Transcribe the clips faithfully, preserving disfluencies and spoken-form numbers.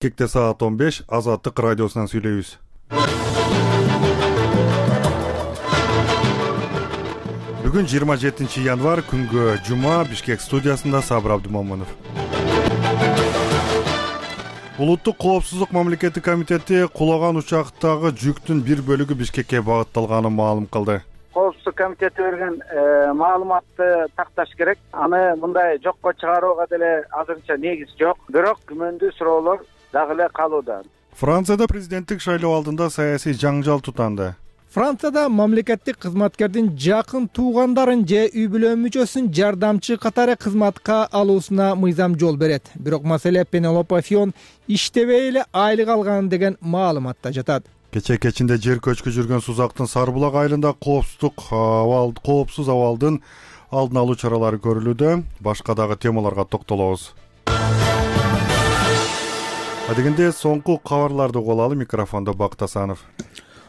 Бишкекте саат он беш, Азаттык радиосунан сүйлөйбүз. Бүгүн жыйырма жетинчи январь, күнгө жума, Бишкек студиясында Сабыр Абдымомунов. Улуттук коопсуздук мамлекеттик комитети кулаган учактагы жүктүн бир бөлүгү Бишкекке багытталганын маалым кылды. Коопсуздук комитети берген маалыматты такташ керек. Аны мындай жокко чыгарууга деле азырынча негиз жок. Бирок күмөндүү суроолор дагы эле калууда. Францияда президенттик шайлоо алдында саясий жаңжал тутанды. Францияда мамлекеттик кызматкердин жакын туугандарын же үй бүлө мүчөсүн жардамчы катары кызматка алуусуна мыйзам жол берет. Бирок маселе Пенелопа Фион иштебей эле айлык алган деген маалыматта жатат. Кече кечинде жер көчкү жүргөн Сузактын Сарбулак айылында коопсуздук абал, коопсуз абалдын алдын алуу чаралары көрүлүүдө. Башка дагы темаларга токтолобуз. Адегенде соңку кабарларды угуп алалы. Микрофондо Бактасанов.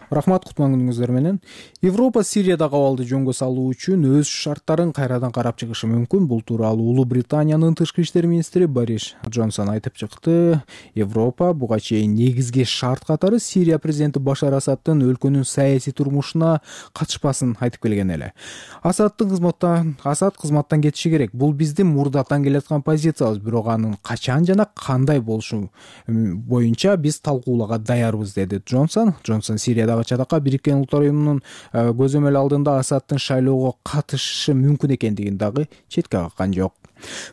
Рахмат, кутман күнүңүздөр менен. Европа Сириядагы абалды жөнгө салуу үчүн өз шарттарын кайрадан карап чыгышы мүмкүн. Бул тууралуу Улуу Британиянын тышкы иштер министри Борис Джонсон айтып чыкты. Европа буга чейин негизги шарт катары Сирия президенти Башар Асадтын өлкөнүн саясий турмушуна катышпасын айтып келген эле. Асадтын кызматтан Асад кызматтан кетиши керек. Бул биздин мурдатан келаткан позициябыз, бирок анын качан жана кандай болушу боюнча биз талкуулоого даярбыз, деди Джонсон. Джонсон Сириядагы чатакка Бириккен Улуттар уюмунун көзөмөл алдында Асадтын шайлоого катышышы мүмкүн экендигин дагы четке каккан жок.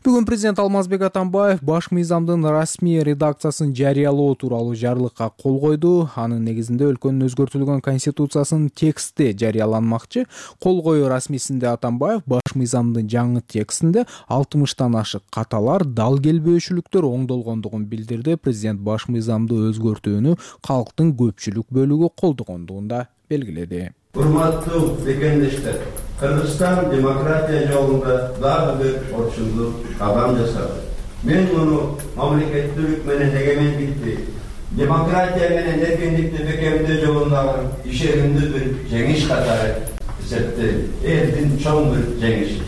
Бүгүн президент Алмазбек Атамбаев баш мыйзамдын расмий редакциясын жарыялоо тууралуу жарлыкка кол койду. Анын негизинде өлкөнүн өзгөртүлгөн конституциясынын тексти жарыяланмакчы. Кол коюу расмийсинде Атамбаев баш мыйзамдын жаңы текстинде алтымыштан ашык каталар, дал келбөөчүлүктөр оңдолгондугун билдирди. Президент баш мыйзамды өзгөртүүнү калктын көпчүлүк бөлүгү колдогондугун да белгиледи. Урматтуу бекендештер, Кыргызстан демократия жолунда дагы бир орчундук кадам жасады. Мен муну мамлекеттүүлүк менен эгемендикти, демократия менен эркиндикти бекемдөө жолундагы ишенимдүү бир жеңиш катары эсептейм. Элдин чоң бир жеңиши.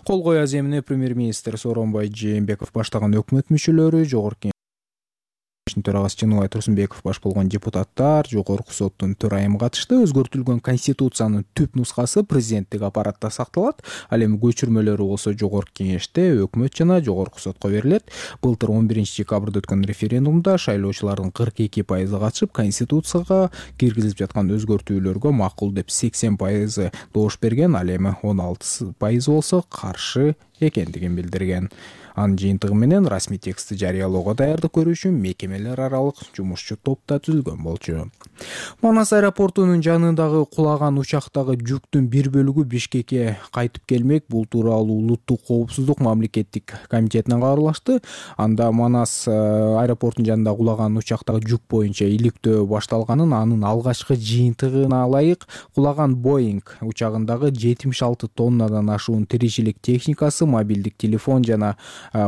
Кол коюу аземине премьер-министр Сооронбай Жээнбеков баштаган өкмөт мүчөлөрү, жогорку төрагасы Чыныбай Турсунбеков баш болгон депутаттар, жогорку соттун төрайымы катышты. Өзгөртүлгөн конституциянын түп нускасы президенттик аппаратта сакталат. Ал эми көчүрмөлөрү болсо жогорку кеңеште, өкмөт жана жогорку сотко берилет. Былтыр он биринчи декабрда өткөн референдумда шайлоочулардын кырк эки пайызы катышып, конституцияга киргизилип жаткан өзгөртүүлөргө макул деп сексен пайызы добуш берген. Ал эми он алты пайызы болсо каршы экендигин билдирген. Анын жыйынтыгы менен расмий текстти жарыялоого даярдык көрүү үчүн мекемелер аралык жумушчу топ да түзүлгөн болчу. Манас аэропортунун жанындагы кулаган учактагы жүктүн бир бөлүгү Бишкекке кайтып келмек. Бул тууралуу Улуттук коопсуздук мамлекеттик комитетинен кабарлашты. Анда Манас аэропортунун жанында кулаган учактагы жүк боюнча иликтөө башталганын, анын алгачкы жыйынтыгына ылайык кулаган Боинг учагындагы жетимиш алты тоннадан ашуун тиричилик техникасы, мобилдик телефон жана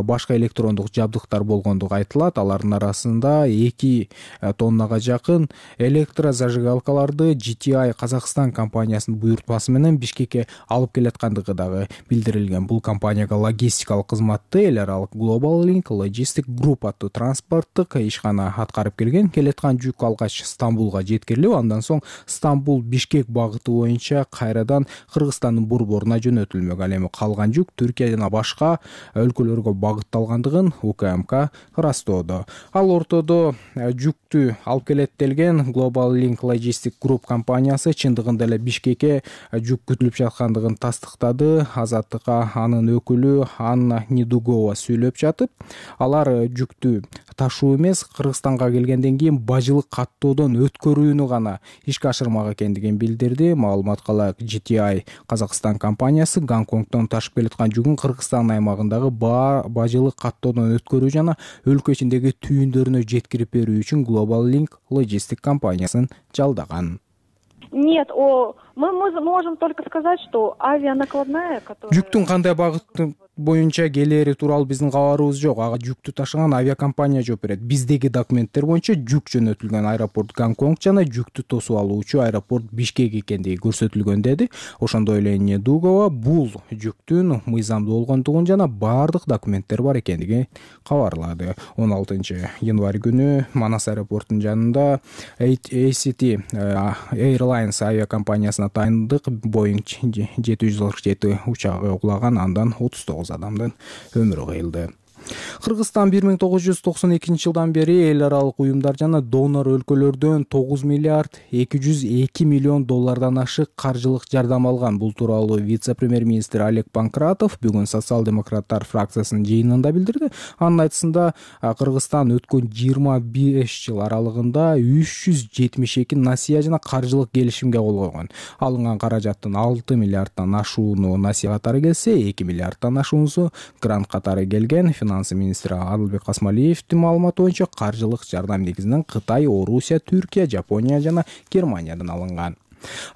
башка электрондук жабдыктар болгондугу айтылат. Алардын арасында эки тоннага жакын электрозажигалкаларды Джи Ти Ай Казакстан компаниясынын буйртмасы менен Бишкекке алып келаткандыгы дагы билдирилген. Бул компанияга логистикалык кызматты эл аралык Global Link Logistic Group аттуу транспорттук ишкана аткарып келген. Келаткан жүк алгач Стамбулга жеткирилип, андан соң Стамбул Бишкек багыты боюнча кайрадан Кыргызстандын борборуна жөнөтүлмөк. Ал эми калган жүк Түркия жана башка өлкөлөргө багытталгандыгын У К М К ырастоодо. Ал ортодо жүктү алып келет делген Global Link Logistic Group компаниясы чындыгында эле Бишкекке жүк күтүлүп жаткандыгын тастыктады. Азаттыкка анын өкүлү Анна Недугова сүйлөп жатып, алар жүктү ташуу эмес, Кыргызстанга келгенден кийин бажылык каттоодон өткөрүүнү гана ишке ашырмак экендигин билдирди. Маалыматка ылайык, Джи Ти Ай Казакстан компаниясы Гонконгдон ташып келаткан жүгүн Кыргызстан аймагындагы бажылык каттоодон өткөрүү жана өлкө ичиндеги түйүндөрүнө жеткирип берүү үчүн Global Link Logistic компаниясын жалдаган. Нет, о, мы можем только сказать, что авианакладная, которая... Жүктүн кандай багыттын боюнча келери тууралуу биздин кабарыбыз жок. Ага жүктү ташыган авиакомпания жооп берет. Биздеги документтер боюнча жүк жөнөтүлгөн аэропорт Гонконг жана жүктү тосуп алуучу аэропорт Бишкек экендиги көрсөтүлгөн, деди. Ошондой эле Недугова бул жүктүн мыйзамдуу болгондугун жана баардык документтер бар экендигин кабарлады. он алтынчы январь күнү Манас аэропортунун жанында эй си ти Airlines авиакомпаниясына таандык Boeing жети жүз кырк жети учагы кулаган, андан отуз тогуз адамдын өмүрү кыйылды. Кыргызстан бир миң тогуз жүз токсон экинчи жылдан бери эл аралык уюмдар жана донор өлкөлөрдөн тогуз миллиард эки жүз эки миллион доллардан ашык каржылык жардам алган. Бул тууралуу вице-премьер-министр Олег Панкратов бүгүн социал-демократтар фракциясынын жыйынында билдирди. Анын айтымында Кыргызстан өткөн жыйырма беш жыл аралыгында үч жүз жетимиш эки насыя жана каржылык келишимге кол койгон. Алынган каражаттын алты миллиардтан ашууну насыя катары келсе, эки миллиардтан ашуусу грант катары келген. Финансы министри Адылбек Касмалиевдин маалыматы боюнча каржылык жардам негизинен Кытай, Орусия, Түркия, Жапония жана Германиядан алынган.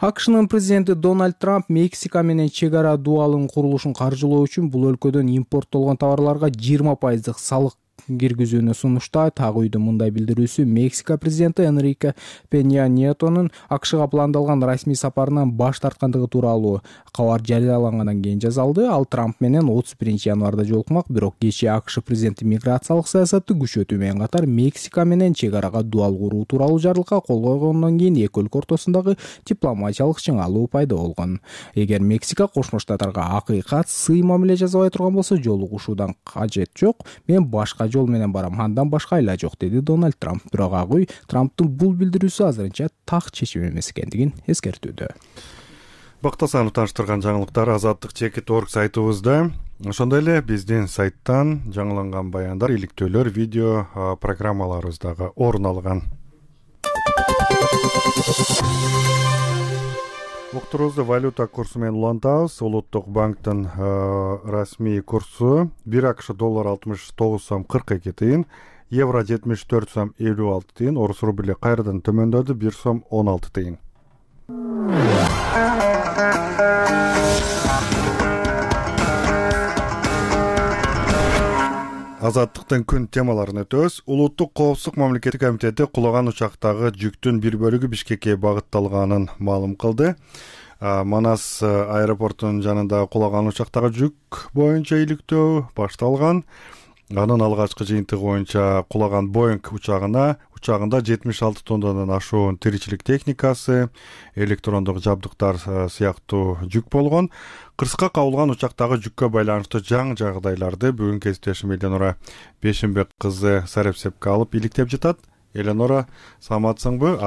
АКШнын президенти Дональд Трамп Мексика менен чек ара дуалынын курулушун каржылоо үчүн бул өлкөдөн импорттолгон товарларга жыйырма пайыздык салык киргизүүнү сунуштайт. Ак үйдүн мындай билдирүүсү Мексика президенти Энрике Пенья Ниетонун АКШга пландалган расмий сапарынан баш тарткандыгы тууралуу кабар жарыялангандан кийин жасалды. Ал Трамп менен отуз биринчи январда жолукмак, бирок кечээ АКШ президенти миграциялык саясатты күчөтүү менен катар Мексика менен чек арага дуал куруу тууралуу жарлыкка кол койгондон кийин эки өлкө ортосундагы дипломатиялык чыңалуу пайда болгон. Эгер Мексика Кошмо Штаттарга акыйкат сый мамиле жасабай турган болсо, жолугушуудан кажет жок, мен башка жол менен барам, андан башка айла жок, деди Дональд Трамп. Бирок Ак үй Трамптын бул билдирүүсү азырынча так чечим эмес экендигин эскертүүдө. Бактасанов тааныштырган жаңылыктар Азаттык чекит точка орг сайтыбызда. Ошондой эле биздин сайттан жаңыланган баяндар, иликтөөлөр, видео программаларыбыздагы орун алган. Уктурубузду валюта курсу менен улантабыз. Улуттук банктын расмий курсу бир АКШ доллар алтымыш тогуз сом кырк эки тыйын, евро жетимиш төрт сом элүү алты тыйын, орус рубли кайрадан төмөндөдү бир сом он алты тыйын. Азаттыктын күн темаларын өтөбүз. Улуттук коопсуздук мамлекеттик комитети кулаган учактагы жүктүн бир бөлүгү Бишкекке багытталганын маалым кылды. Манас аэропортунун жанында кулаган учактагы жүк боюнча иликтөө башталган. Анын алгачкы жыйынтыгы боюнча кулаган Boeing учагына учагында жетимиш алты тоннадан ашуун тиричилик техникасы, электрондук жабдыктар сыяктуу жүк болгон. Кырсыкка кабылган учактагы жүккө байланыштуу жаңы жагдайларды бүгүн кесиптешим Эленора Бешимбек кызы сарепсепке алып иликтеп жатат. Эленора, саламатсыңбы?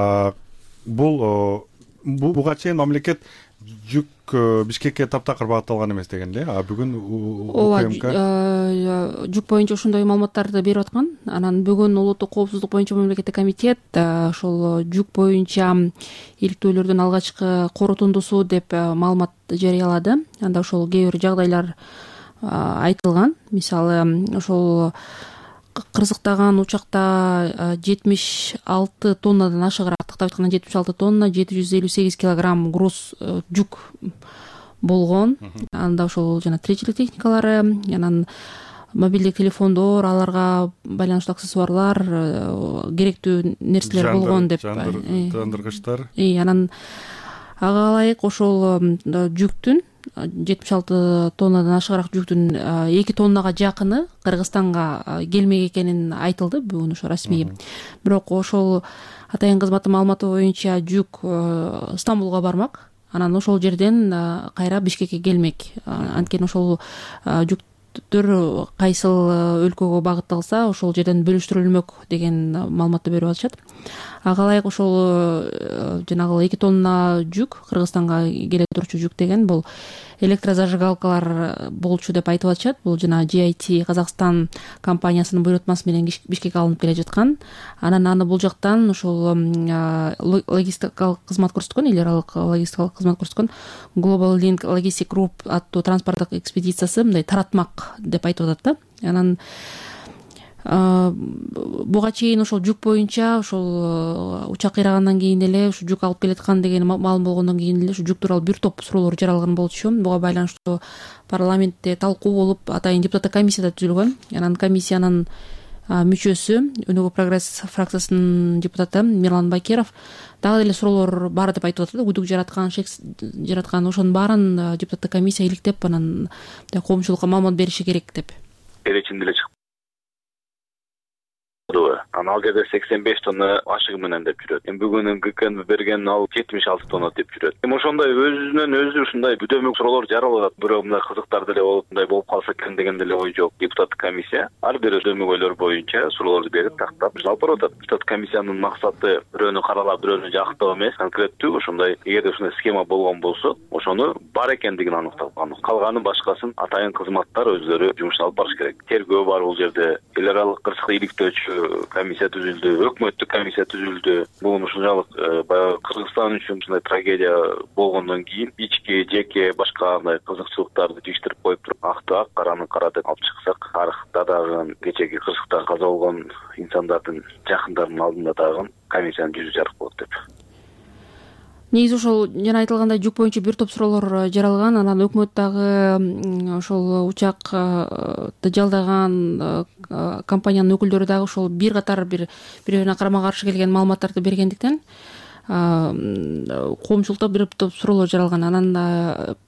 Бул буга чейин мамлекет жүк Бишкекке таптакыр багытталган эмес деген эле. А бүгүн УКМК жүк боюнча ошондой маалыматтарды берип аткан. Анан бүгүн улуттук коопсуздук боюнча мамлекеттик комитет ошол жүк боюнча иликтөөлөрдүн алгачкы корутундусу деп маалымат жарыялады. Анда ошол кээ бир жагдайлар айтылган. Мисалы, ошол кырсыктаган учакта жетимиш алты тоннадан ашыгыраак тактап айтканда жетимиш алты тонна жети жүз элүү сегиз килограмм груз жүк болгон. Анда ошол жана тиричилик техникалары, анан мобилдик телефондор, аларга байланыштуу аксессуарлар, керектүү нерселер болгон деп. Жандыргычтар. И анан ага ылайык ошол жүктүн жетимиш алты тоннадан ашыгыраак жүктүн эки тоннага жакыны Кыргызстанга келмек экенин айтылды бүгүн ошо расмий. Бирок ошол атайын кызматтын маалыматы боюнча жүк Стамбулга бармак. Анан ошол жерден кайра Бишкекке келмек. Анткени ошол жүктөр кайсыл өлкөгө багытталса, ошол жерден бөлүштүрүлмөк деген маалыматты берип атышат. Ага ылайык ошол жанагы эки тонна жүк, Кыргызстанга келе турчу жүк деген бул электрозажигалкалар болчу деп айтып атышат. Бул жана джи ай ти Казакстан компаниясынын буйрутмасы менен Бишкекке алынып келе жаткан. Анан аны бул жактан ошол логистикалык кызмат көрсөткөн, эл аралык логистикалык кызмат көрсөткөн Global Link Logistic Group аттуу транспорттук экспедициясы мындай таратмак деп айтып атат да. Анан буга чейин ошол жүк боюнча ошол учак кыйрагандан кийин эле ушу жүк алып келаткан деген маалым болгондон кийин эле ушу жүк тууралуу бир топ суроолор жаралган болчу. Буга байланыштуу парламентте талкуу болуп, атайын депутаттык комиссия да түзүлгөн. Анан комиссиянын мүчөсү, Өнүгүү прогресс фракциясынын депутаты Мирлан Бакиров дагы деле суроолор бар деп айтып атат. Күдүк жараткан, шек жараткан ошонун баарын депутаттык комиссия иликтеп, анан коомчулукка маалымат бериши керек деп. Эречин деле чыгып анан ал жерде сексен беш тонна ашыгы менен деп жүрөт. Эми бүгүн ГК берген ал жетимиш алты тонна деп жүрөт. Эми ошондой өзүнөн өзү ушундай бүдөмүк суроолор жаралат. Бирок мындай кызыктар деле болуп, мындай болуп калса экен деген деле ой жок. Депутаттык комиссия ар бир өдөмүк ойлор боюнча суроолорду берип, тактап алып барып атат. Депутаттык комиссиянын максаты бирөөнү каралап, бирөөнү жактоо эмес, конкреттүү ошондой эгерде ушундай схема болгон болсо, ошону бар экендигин аныктап, калганын башкасын атайын кызматтар өзлөрү жумушун алып барыш керек. Тергөө бар бул жерде, эл аралык кырсыкты иликтөөчү комиссия түзүлдү, өкмөттүк комиссия түзүлдү. Бул ушунчалык баягы Кыргызстан үчүн ушундай трагедия болгондон кийин ички, жеке башка андай кызыкчылыктарды жиштирип коюп туруп, акты ак, караны кара деп алып чыксак, тарыхта дагы кечеги кырсыкта каза болгон инсандардын жакындарынын алдында дагы комиссиянын жүзү жарык болот деп. Негизи ошол жана айтылгандай жүк боюнча бир топ суроолор жаралган. Анан өкмөт дагы ошол учакты жалдаган компаниянын өкүлдөрү дагы ошол бир катар бир бири-бирине карама каршы келген маалыматтарды бергендиктен коомчулукта бир топ суроолор жаралган. Анан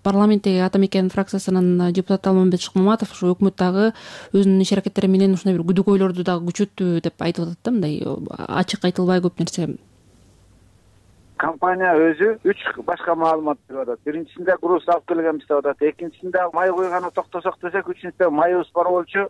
парламенттеги Ата Мекен фракциясынын депутаты Алмамбет Шыкмаматов ошо өкмөт дагы өзүнүн иш аракеттери менен ушундай бир күдүк ойлорду дагы күчөттү деп айтып атат да, мындай ачык айтылбай көп нерсе. Компания өзү үч башка маалымат берип атат. Биринчисинде груз алып келгенбиз деп атат. Экинчисинде май куйганы токтосок десек, үчүнчүсүндө майыбыз бар болчу,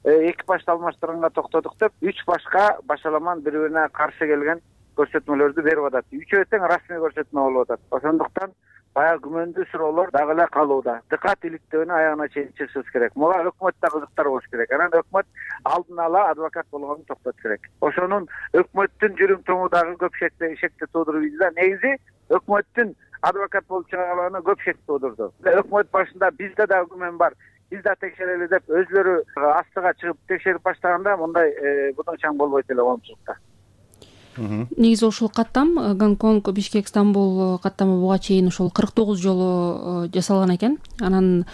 экипажды алмаштырганга токтодук деп үч башка башаламан бири-бирине каршы келген көрсөтмөлөрдү берип атат. Үчөө тең расмий көрсөтмө болуп атат. Ошондуктан баягы күмөндүү суроолор дагы эле калууда. Дыкат иликтөөнү аягына чейин чыкышыбыз керек. Буга өкмөттө кызыктар болуш керек. Анан өкмөт алдын ала адвокат болгонун токтотуш керек. Ошонун өкмөттүн жүрүм тоңу дагы көп шекти туудуруп ийди да. Негизи өкмөттүн адвокат болуп чыгарганы көп шек туудурду. Өкмөт башында бизде дагы күмөн бар. Биз да текшерели деп өзлөрү астыга чыгып текшерип баштаганда мындай будунчаң болбойт эле коомчулукта. Негизи ушул каттам Гонконг, Бишкек, Стамбул каттамы буга чейин ушул кырк тогуз жолу жасалган экен. Анан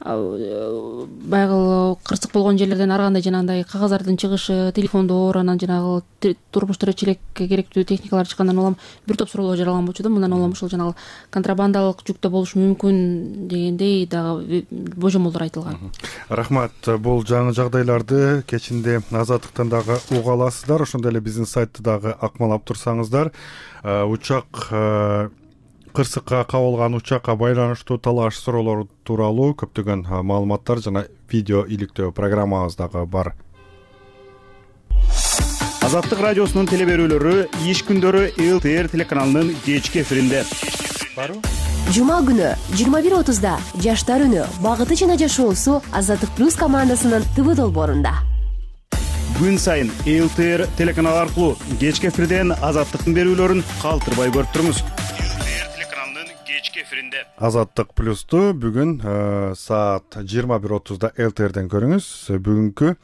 баягы кырсык болгон жерлерден ар кандай жанагындай кагаздардын чыгышы, телефондор, анан жанагы турмуш тиричилекке керектүү техникалар чыккандан улам бир топ суроолор жаралган болчу да. Мындан улам ушул жанагы контрабандалык жүктө болушу мүмкүн дегендей дагы божомолдор айтылган. Рахмат. Бул жаңы жагдайларды кечинде Азаттыктан дагы уга аласыздар. Ошондой эле биздин сайтты дагы акмалап турсаңыздар, учак кырсыкка кабылган учакка байланыштуу талаш суроолор тууралуу көптөгөн маалыматтар жана видео иликтөө программабыз дагы бар. Азаттык радиосунун теле берүүлөрү иш күндөрү эл тэ эр телеканалынын кечки эфиринде. Жума күнү жыйырма бир отузда Жаштар үнү багыты жана жашоосу Азаттык плюс командасынын ТВ долбоорунда. Күн сайын эл тэ эр телеканалы аркылуу кечки эфирден Азаттыктын берүүлөрүн калтырбай көрүп туруңуз. Азаттык плюсту бүгүн саат жыйырма бир отузда эл тэ эрден көрүңүз. Бүгүнкү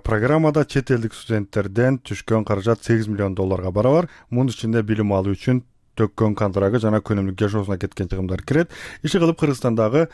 программада чет элдик студенттерден түшкөн каражат сегиз миллион долларга барабар. Мунун ичинде билим алуу үчүн төккөн контрагы жана күнүмдүк жашоосуна кеткен чыгымдар кирет. Иши кылып Кыргызстандагы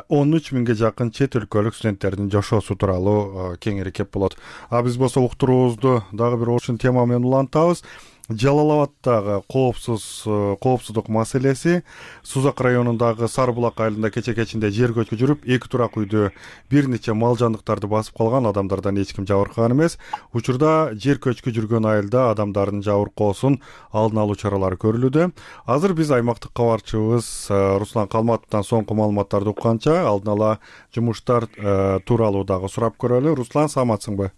он үч миңге жакын чет өлкөлүк студенттердин жашоосу тууралуу кеңири кеп болот. А биз болсо уктуруубузду дагы бир ушул тема менен улантабыз. Жалал-Абаддагы коопсуз коопсуздук маселеси, Сузак районундагы Сарыбулак айылында кече кечинде жер көчкү жүрүп, эки турак үйдү бир нече мал жандыктарды басып калган, адамдардан эч ким жабыркаган эмес. Учурда жер көчкү жүргөн айылда адамдардын жабыркоосун алдын алуу чаралары көрүлүүдө. Азыр биз аймактык кабарчыбыз Руслан Калматовдон соңку маалыматтарды укканча алдын ала жумуштар тууралуу дагы сурап көрөлү. Руслан, саламатсыңбы?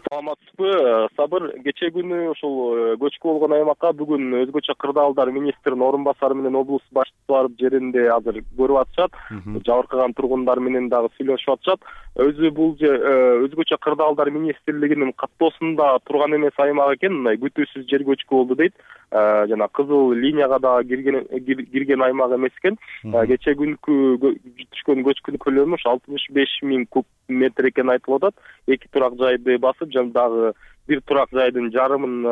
Саламатсызбы? Сабыр, кече күнү ушул көчкү болгон аймакка бүгүн өзгөчө кырдаалдар министринин орун басары менен облус башчысы барып жеринде азыр көрүп атышат. Жабыркаган тургундар менен дагы сүйлөшүп атышат. Өзү бул өзгөчө кырдаалдар министрлигинин каттоосунда турган эмес аймак экен, мындай күтүүсүз жер көчкү болду дейт. жана кызыл линияга дагы кирген кирген аймак эмес экен. Кечээ күнкү түшкөн көчкүнүн көлөмү ошо алтымыш беш миң куб метр экени айтылып атат. Эки турак жайды басып, жана дагы бир турак жайдын жарымын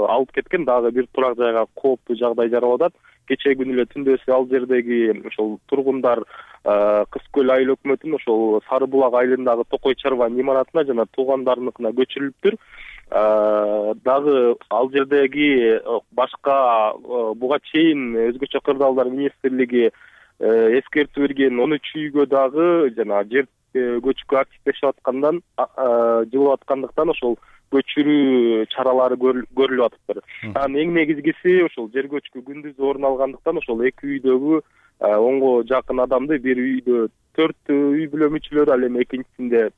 алып кеткен, дагы бир турак жайга кооптуу жагдай жаралып атат. Кечээ күнү эле түндөсү ал жердеги ошол тургундар Кыз көл айыл өкмөтүнүн ошол Сары булак айылындагы Токой чарбанын имаратына жана туугандарыныкына көчүрүлүптүр. Дагы ал жердеги башка буга чейин өзгөчө кырдаалдар министрлиги эскертүү берген он үч үйгө дагы жана жер көчкү активдешип аткандан жылып аткандыктан ошол көчүрүү чаралары көрүлүп атыптыр. Анан эң негизгиси ошол жер көчкү күндүз орун алгандыктан ошол эки үйдөгү онго жакын адамды, бир үйдө төрт үй бүлө мүчөлөрү, ал эми экинчисинде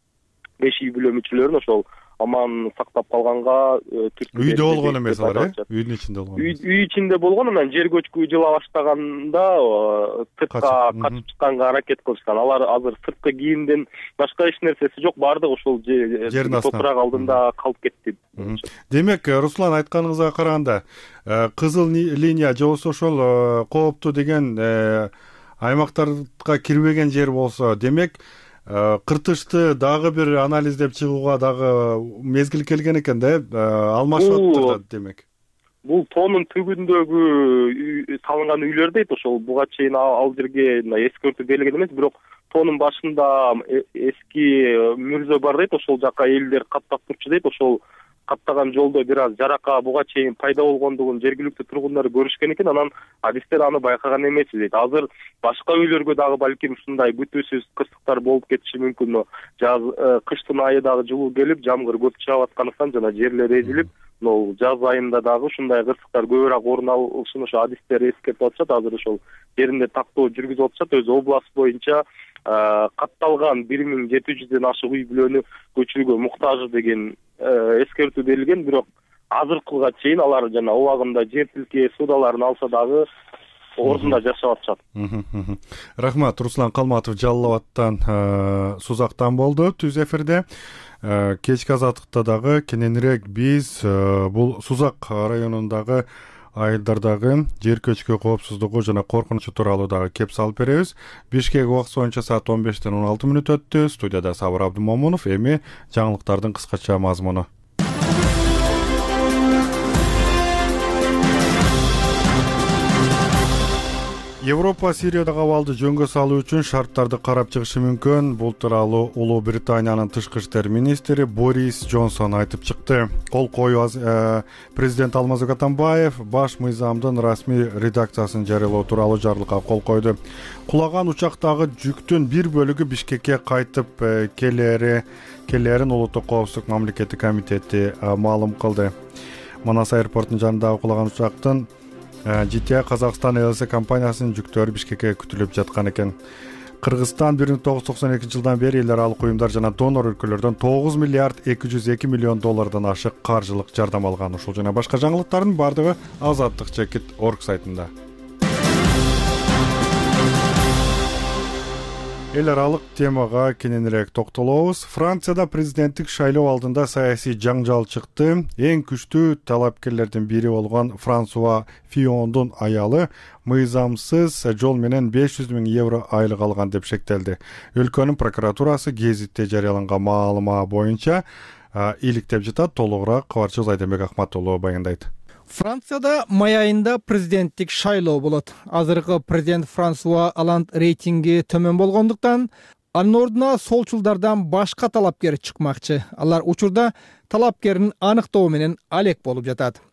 беш үй бүлө мүчөлөрүн ошол аман сактап калганга түрткү үйдө болгон эмес алар, э? Үйдүн ичинде болгон. Үй ичинде болгон, анан жер көчкү жыла баштаганда сыртка качып чыкканга аракет кылышкан. Алар азыр сырткы кийимден башка эч нерсеси жок, баардыгы ошол топурак алдында калып кетти. Демек, Руслан айтканыңызга караганда, кызыл линия же болбосо ошол кооптуу деген аймактарга кирбеген жер болсо, демек кыртышты дагы бир анализдеп чыгууга дагы мезгил келген экен да, алмашып атат демек. Бул тоонун түбүндөгү салынган үйлөр дейт, ошол буга чейин ал жерге эскертүү берилген эмес, бирок тоонун башында эски мүрзө бар дейт, ошол жака элдер каттап турчу дейт, ошол каттаган жолдо бир аз жарака буга чейин пайда болгондугун жергиликтүү тургундар көрүшкөн экен, анан адистер аны байкаган эмес дейт. Азыр башка үйлөргө дагы балким ушундай күтүүсүз кырсыктар болуп кетиши мүмкүн. Жаз кыштын айы дагы жылуу келип, жамгыр көп жаап аткандыктан жана жерлер эзилип, могу жаз айында дагы ушундай кырсыктар көбүрөөк орун алышын ошо адистер эскертип атышат. Азыр ошол жеринде тактоо жүргүзүп атышат. Өзү область боюнча катталган бир миң жети жүздөн ашык үй бүлөнү көчүрүүгө муктаж деген эскертүү берилген, бирок азыркыга чейин алар жана убагында жер тилке суудаларын алса дагы ордунда жашап атышат. Рахмат. Руслан Калматов Жалал Абадтан, Сузактан болду түз эфирде. Кечки азаттыкта дагы кененирээк биз бул Сузак районундагы айылдардагы жер көчкү коопсуздугу жана коркунучу тууралуу дагы кеп салып беребиз. Бишкек убакыты боюнча саат он бештен он алты мүнөт өттү. Студияда Сабыр Абдымомунов. Эми жаңылыктардын кыскача мазмуну. Европа Сириядагы абалды жөнгө салуу үчүн шарттарды карап чыгышы мүмкүн. Бул тууралуу Улуу Британиянын тышкы иштер министри Борис Джонсон айтып чыкты. Кол коюу президент Алмазбек Атамбаев баш мыйзамдын расмий редакциясын жарыялоо тууралуу жарлыкка кол койду. Кулаган учактагы жүктүн бир бөлүгү Бишкекке кайтып келери келерин Улуттук коопсуздук мамлекеттик комитети маалым кылды. Манас аэропортунун жанындагы кулаган учактын джи ти эй Казакстан эл эс компаниясынын жүктөрү Бишкекке күтүлүп жаткан экен. Кыргызстан бир миң тогуз жүз токсон экинчи жылдан бери эл аралык уюмдар жана донор өлкөлөрдөн тогуз миллиард эки жүз эки миллион доллардан ашык каржылык жардам алган. Ушул жана башка жаңылыктардын бардыгы азаттык чекит точка орг сайтында. Эл аралык темага кененирээк токтолобуз. Францияда президенттик шайлоо алдында саясий жаңжал чыкты. Эң күчтүү талапкерлердин бири болгон Франсуа Фиондун аялы мыйзамсыз жол менен беш жүз миң евро айлык алган деп шектелди. Өлкөнүн прокуратурасы гезитте жарыяланган маалымат боюнча иликтеп жатат. Толугураак кабарчыбыз Айденбек Акматуллу баяндайт. Францияда май айында президенттик шайлоо болот. Азыркы президент Франсуа Оланд рейтинги төмөн болгондуктан анын ордуна солчулдардан башка талапкер чыкмакчы. Алар учурда талапкерин аныктоо менен алек болуп жатат.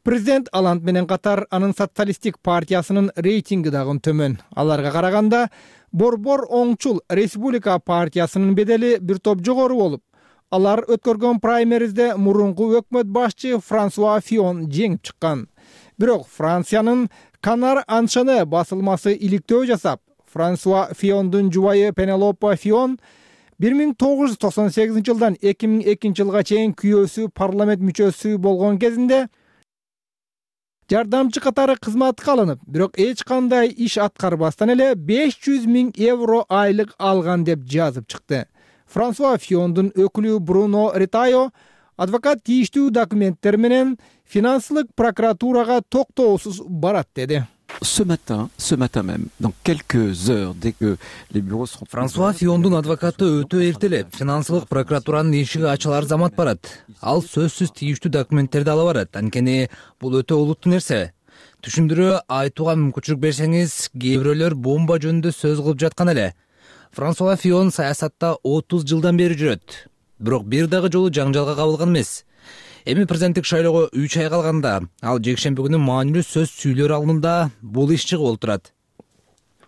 Президент Оланд менен катар анын социалисттик партиясынын рейтинги дагы төмөн. Аларга караганда борбор оңчул Республика партиясынын бедели бир топ жогору болуп, алар өткөргөн праймеризде мурунку өкмөт башчы Франсуа Фион жеңип чыккан. Бирок Франциянын Канар анчаны басылмасы иликтөө жасап, Франсуа Фиондун жубайы Пенелопа Фион бир миң тогуз жүз токсон сегизинчи жылдан эки миң экинчи жылга чейин күйөөсү парламент мүчөсү болгон кезинде жардамчы катары кызматка алынып, бирок эч кандай иш аткарбастан эле беш жүз миң евро айлык алган деп жазып чыкты. Франсуа Фиондун өкүлү Бруно Ретайо адвокат тийиштүү документтер менен финансылык прокуратурага токтоосуз барат деди. Ce matin, ce matin même, dans quelques heures, dès que les bureaux seront... Франсуа Фиондун адвокаты өтө эртелеп финансылык прокуратуранын эшиги ачылар замат барат. Ал сөзсүз тийиштүү документтерди ала барат. Анткени бул өтө олуттуу нерсе. Түшүндүрүү айтууга мүмкүнчүлүк берсеңиз, кээ бирөөлөр бомба жөнүндө сөз кылып жаткан эле. Франсуа Фион саясатта отуз жылдан бери жүрөт. Бирок бир дагы жолу жаңжалга кабылган эмес. Эми президенттик шайлоого үч ай калганда ал жекшемби күнү маанилүү сөз сүйлөр алдында бул иш чыгып олтурат.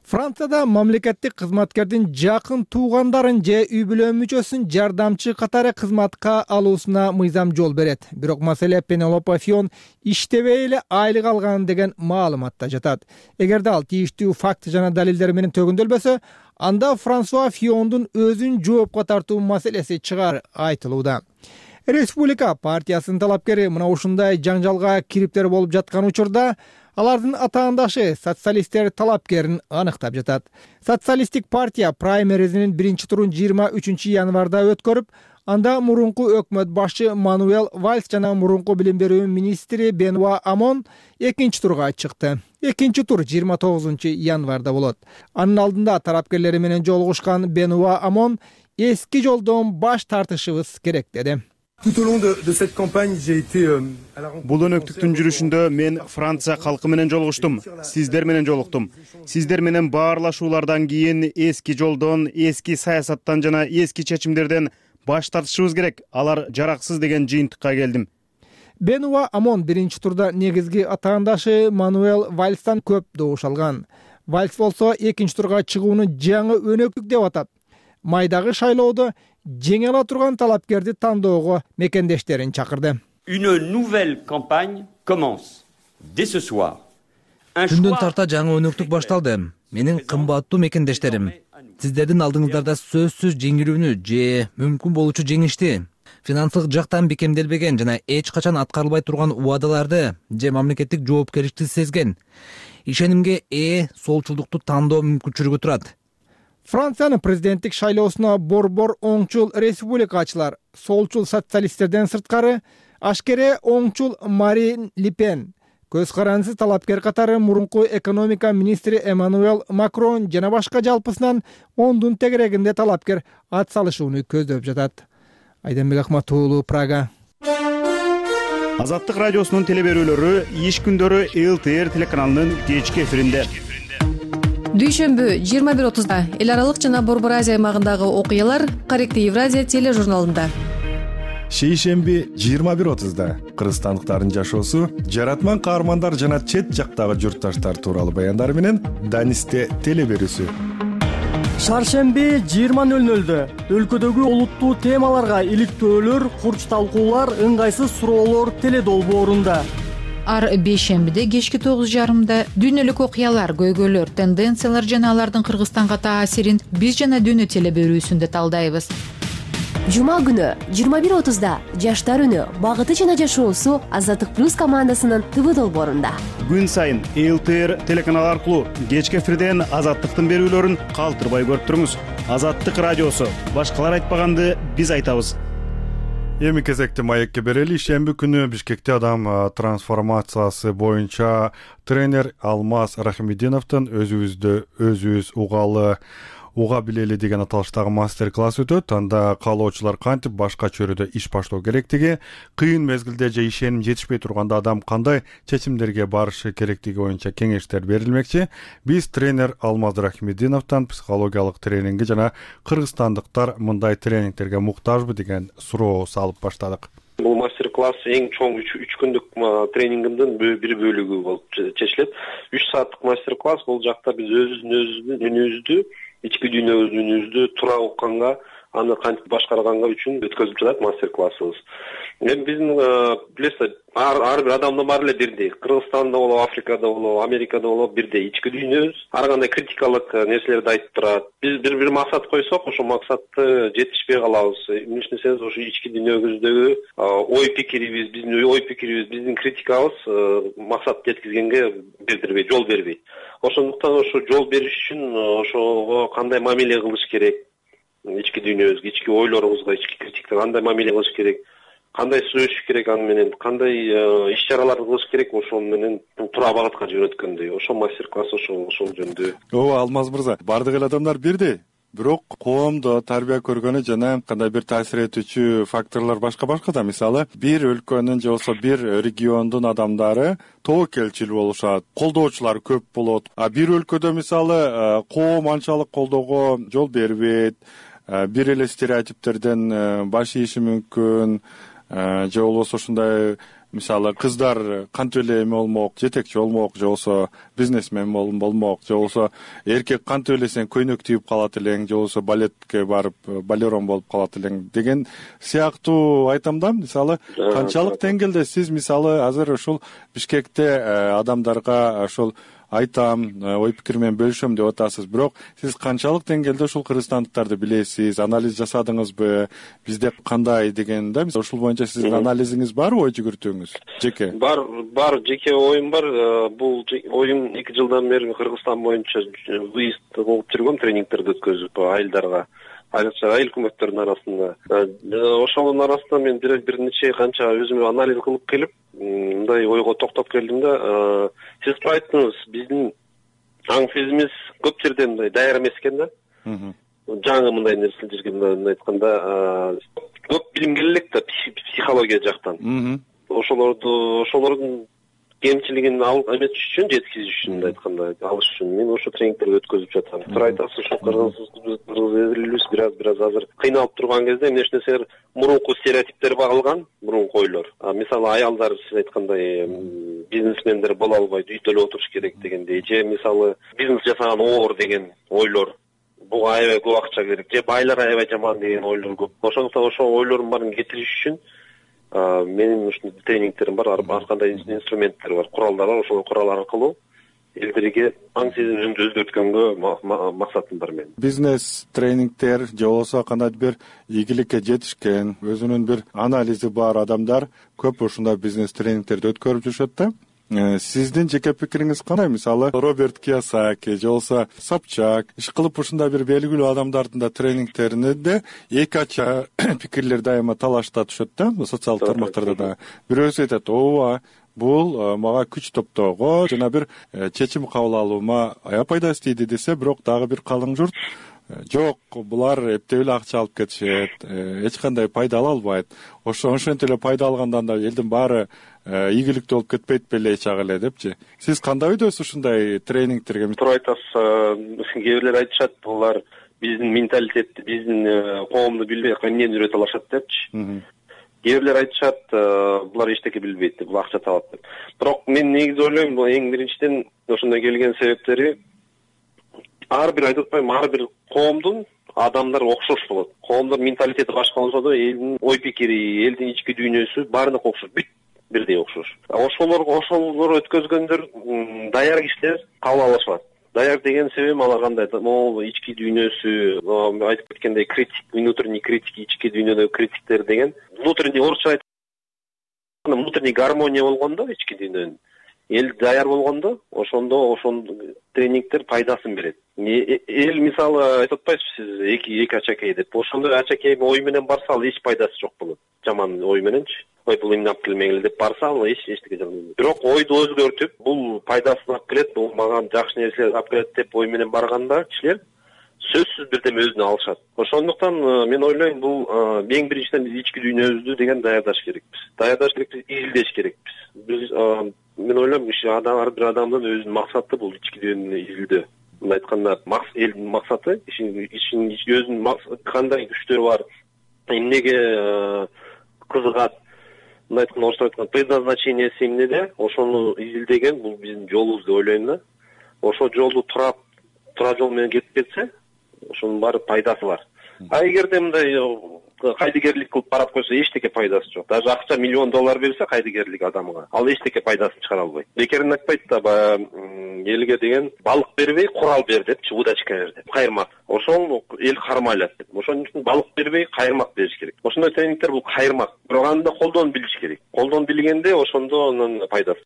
Францияда мамлекеттик кызматкердин жакын туугандарын же үй бүлө мүчөсүн жардамчы катары кызматка алуусуна мыйзам жол берет. Бирок маселе Пенелопа Фион иштебей эле айлык алган деген маалыматта жатат. Эгерде ал тийиштүү факт жана далилдер менен төгүндөлбөсө, анда Франсуа Фиондун өзүн жоопко тартуу маселеси чыгар айтылууда. Республика партиясынын талапкери мына ушундай жаңжалга кириптер болуп жаткан учурда алардын атаандашы социалисттер талапкерин аныктап жатат. Социалисттик партия праймеризинин биринчи турун жыйырма үчүнчү январда өткөрүп, анда мурунку өкмөт башчы Мануэл Вальс жана мурунку билим берүү министри Бенуа Амон экинчи турга чыкты. Экинчи тур жыйырма тогузунчу январда болот. Анын алдында тарапкерлери менен жолугушкан Бенуа Амон эски жолдон баш тартышыбыз керек деди. Бул өнөктүктүн жүрүшүндө мен Франция калкы менен жолугуштум, сиздер менен жолуктум. Сиздер менен баарлашуулардан кийин эски жолдон, эски саясаттан жана эски чечимдерден баш тартышыбыз керек. Алар жараксыз деген жыйынтыкка келдим. Бенуа Амон биринчи турда негизги атаандашы Мануэл Вальстан көп добуш алган. Вальс болсо экинчи турга чыгууну жаңы өнөктүк деп атат. Майдагы шайлоодо жеңе ала турган талапкерди тандоого мекендештерин чакырды. Une nouvelle campagne commence dès ce soir. Түндөн тарта жаңы өнөктүк башталды. Менин кымбаттуу мекендештерим, сиздердин алдыңыздарда сөзсүз жеңилүүнү же мүмкүн болуучу жеңишти, финансылык жактан бекемделбеген жана эч качан аткарылбай турган убадаларды же мамлекеттик жоопкерчиликти сезген, ишенимге ээ солчулдукту тандоо мүмкүнчүлүгү турат. Франциянын президенттик шайлоосуна борбор оңчул республикачылар, солчул социалисттерден сырткары ашкере оңчул Марин Ле Пен, көз карандысыз талапкер катары мурунку экономика министри Эммануэл Макрон жана башка жалпысынан ондун тегерегинде талапкер ат салышууну көздөп жатат. Айданбек Ахматуулу, Прага. Азаттык радиосунун телеберүүлөрү иш күндөрү эл тэ эр телеканалынын кечки эфиринде. Дүйшөмбү жыйырма бир отузда эл аралык жана Борбор Азия аймагындагы окуялар Корректив Евразия тележурналында. Шейшемби жыйырма бир отузда кыргызстандыктардын жашоосу, жаратман каармандар жана чет жактагы журтташтар тууралуу баяндар менен Данисте телеберүүсү. Шаршемби жыйырма нөл нөлдө өлкөдөгү олуттуу темаларга иликтөөлөр, курч талкуулар, ыңгайсыз суроолор теледолбоорунда. Ар бейшембиде кечки тогуз жарымда дүйнөлүк окуялар, көйгөйлөр, тенденциялар жана алардын Кыргызстанга таасирин биз жана дүйнө телеберүүсүндө талдайбыз. Жума күнү жыйырма бир отузда жаштар үнү багыты жана жашоосу Азаттык плюс командасынын ТВ долбоорунда. Күн сайын эл тэ эр телеканалы аркылуу кечки эфирден Азаттыктын берүүлөрүн калтырбай көрүп туруңуз. Азаттык радиосу, башкалар айтпаганды биз айтабыз. Эми кезекте маекке берели. Шемби күнү Бишкекте адам трансформациясы боюнча тренер Алмаз Рахимидиновдун өзүбүздү өзүбүз угалы уга билели деген аталыштагы мастер-класс өтөт. Анда каалоочулар кантип башка чөйрөдө иш баштоо керектиги, кыйын мезгилде же ишеним жетишпей турганда адам кандай чечимдерге барышы керектиги боюнча кеңештер берилмекчи. Биз тренер Алмаз Рахимидиновдон психологиялык тренинги жана кыргызстандыктар мындай тренингтерге муктажбы деген суроо салып баштадык. Бул мастер-класс эң чоң үч күндүк тренингимдин бир бөлүгү болуп чечилет. үч сааттык мастер-класс. Бул жакта биз өзүбүздүн үнүбүздү, ички дүйнөбүздүн үнүбүздү туура укканга, аны кантип башкарганга үчүн өткөзүп жатат мастер-классыбыз. Эми биздин билесиз, ар бир адамдын баары эле бирдей. Кыргызстанда болобу, Африкада болобу, Америкада болобу бирдей. Ички дүйнөбүз ар кандай критикалык нерселерди айтып турат. Биз бир бир максат койсок, ошол максатты жетишпей калабыз. Эмнеге десеңиз, ошо ички дүйнөбүздөгү ой пикирибиз, биздин ой пикирибиз, биздин критикабыз максат жеткизгенге бердирбейт, жол бербейт. Ошондуктан ошо жол бериш үчүн ошого кандай мамиле кылыш керек, ички дүйнөбүзгө, ички ойлорубузга, ички критиктерге кандай мамиле кылыш керек, кандай сүйлөшүш керек, аны менен кандай иш чараларды кылыш керек, ошол менен туура багытка жөнөткөндөй. Ошол мастер-класс ошол ошол жөнүндө. Ооба, Алмаз мырза, бардык эле адамдар бирдей. Бирок коомдо тарбия көргөнү жана кандай бир таасир этүүчү факторлор башка-башка да. Мисалы, бир өлкөнүн же болбосо бир региондун адамдары тобокелчил болушат, колдоочулар көп болот. А бир өлкөдө мисалы коом анчалык колдоого жол бербейт, бир эле стереотиптерден баш ийиши мүмкүн, же болбосо ушундай мисалы кыздар кантип эле эме болмок, жетекчи болмок, же болбосо бизнесмен болмок, же болбосо эркек кантип эле сен көйнөк тийип калат элең, же болбосо балетке барып балерон болуп калат элең деген сыяктуу айтам да. Мисалы канчалык деңгээлде сиз мисалы азыр ушул Бишкекте адамдарга ошол айтам, ой пикир менен бөлүшөм деп атасыз, бирок сиз канчалык деңгээлде ушул кыргызстандыктарды билесиз, анализ жасадыңызбы, бизде кандай деген да, мисалы ушул боюнча сиздин анализиңиз барбы, ой жүгүртүүңүз? Жеке бар бар жеке оюм бар. Бул оюм эки жылдан бери Кыргызстан боюнча выезд болуп жүргөм, тренингтерди өткөзүп айылдарга, айрыкча айыл өкмөттөрдүн арасында. Ошонун арасында мен бир бир нече канча өзүмө анализ кылып келип, мындай ойго токтоп келдим да. Сиз айттыңыз, биздин аң сезимибиз көп жерде мындай даяр эмес экен да. Жаңы мындай нерсе жүргөндө айтканда, көп билим керек элек да психология жактан. Ошолорду ошолордун кемчилигин алып үчүн, жеткизиш үчүн айтканда, алыш үчүн мен ошо тренингтерди өткөзүп жатам. Туура айтасыз, ошо кыргыз элибиз бир аз бир аз азыр кыйналып турган кезде эмне нерселер мурунку стереотиптер багылган, мурунку ойлор. Мисалы аялдар сиз айткандай бизнесмендер боло албайт, үйдө эле отуруш керек дегендей, же мисалы бизнес жасаган оор деген ойлор. Буга аябай көп акча керек, же байлар аябай жаман деген ойлор көп. Ошондуктан ошол ойлордун баарын кетириш үчүн менин ушундай тренингтерим бар, ар кандай инструменттер бар, куралдар бар. Ошол курал аркылуу элдерге аң сезимин өзгөрткөнгө максатым бар менин. Бизнес тренингтер же болбосо кандайдыр бир ийгиликке жетишкен, өзүнүн бир анализи бар адамдар көп ушундай бизнес тренингтерди өткөрүп жүрүшөт да. Сиздин жеке пикириңиз кандай? Мисалы Роберт Кийосаки же болбосо Собчак иш кылып ушундай бир белгилүү адамдардын да тренингтеринде эки ача пикирлер дайыма талашта түшөт да, социалдык тармактарда да. Бирөөсү айтат, ооба, бул мага күч топтоого жана бир чечим кабыл алуума аябай пайдасы тийди десе, бирок дагы бир калың журт жок, булар эптеп эле акча алып кетишет, эч кандай пайда ала албайт. Ошо ошентип эле пайда алгандан да элдин баары ийгиликтүү болуп кетпейт беле чак эле депчи. Сиз кандай ойдосуз ушундай тренингтерге? Туура айтасыз. Кээ бирлер айтышат, булар биздин менталитетти, биздин коомду билбей эмнени үйрөтө алышат депчи. Кээ бирлер айтышат, булар эчтеке билбейт деп, бул акча табат деп. Бирок мен негизи ойлойм, бул эң биринчиден ошондой келген себептери ар бир айтып атпайм, ар бир коомдун адамдар окшош болот. Коомдун менталитети башка болсо да, элдин ой пикири, элдин ички дүйнөсү баарына окшош, бүт бирдей окшош. Ошолор ошолор өткөзгөндөр даяр кишилер кабыл алышат. Даяр деген себебим алар кандай? Могул ички дүйнөсү, айтып кеткендей критик, внутренний критик, ички дүйнөдөгү критиктер деген. Внутренний орусча айтканда внутренний гармония болгондо, ички дүйнөнүн эл даяр болгондо, ошондо ошон тренингтер пайдасын берет. Эл мисалы айтып атпайсызбы сиз эки эки ачакей деп. Ошондой ачакей ой менен барса, ал эч пайдасы жок болот. Жаман ой мененчи. Ой, бул эмне алып келмегиле деп барса, ал эч эчтеке жок. Бирок ойду өзгөртүп, бул пайдасын алып келет, бул мага жакшы нерселер алып келет деп ой менен барганда кишилер сөзсүз бирдеме өзүнө алышат. Ошондуктан мен ойлойм, бул эң биринчиден биз ички дүйнөбүздү деген даярдаш керекпиз. Даярдаш керекпиз, изилдеш керекпиз. Биз мен ойлойм, ар бир адамдын өзүнүн максаты бул ички дүйнөнү изилдөө. Мындай айтканда, элдин максаты, ишин өзүнүн кандай күчтөрү бар, эмнеге кызыгат, мындай айтканда, орусча айтканда, предназначениясы эмнеде, ошону изилдеген бул биздин жолубуз деп ойлойм да. Ошол жолду тура тура жол менен кетип кетсе, ошонун баары пайдасы бар. А эгерде мындай кайдыгерлик кылып барат койсо, эчтеке пайдасы жок. Даже акча миллион доллар берсе кайдыгерлик адамга, ал эчтеке пайдасын чыгара албайт. Бекерин айтпайт да, баягы элге деген балык бербей, курал бер депчи, удочка бер деп. Кайырмак. Ошол эл кармайлат деп. Ошон үчүн балык бербей, кайырмак бериш керек. Ошондой тренингтер бул кайырмак. Бирок аны да колдонуп билиш керек. Колдонуп билгенде ошондо анын пайдасы.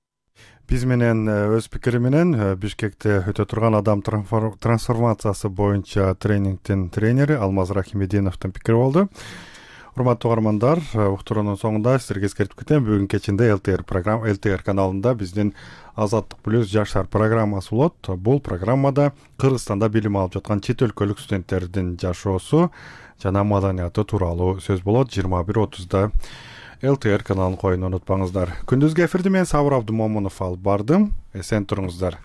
Биз менен өз пикири менен Бишкекте өтө турган адам трансформациясы боюнча тренингдин тренери Алмаз Рахимединовдун пикири болду. урматтуу угармандар, уктуруунун соңунда сиздерге эскертип кетем, бүгүн кечинде ЛТР программа ЛТР каналында биздин Азаттык плюс жаштар программасы болот. Бул программада Кыргызстанда билим алып жаткан чет өлкөлүк студенттердин жашоосу жана маданияты тууралуу сөз болот. жыйырма бир отузда ЛТР каналын коюуну унутпаңыздар. Күндүзгү эфирди мен Сабыр Абдымомунов алып бардым. Эсен туруңуздар.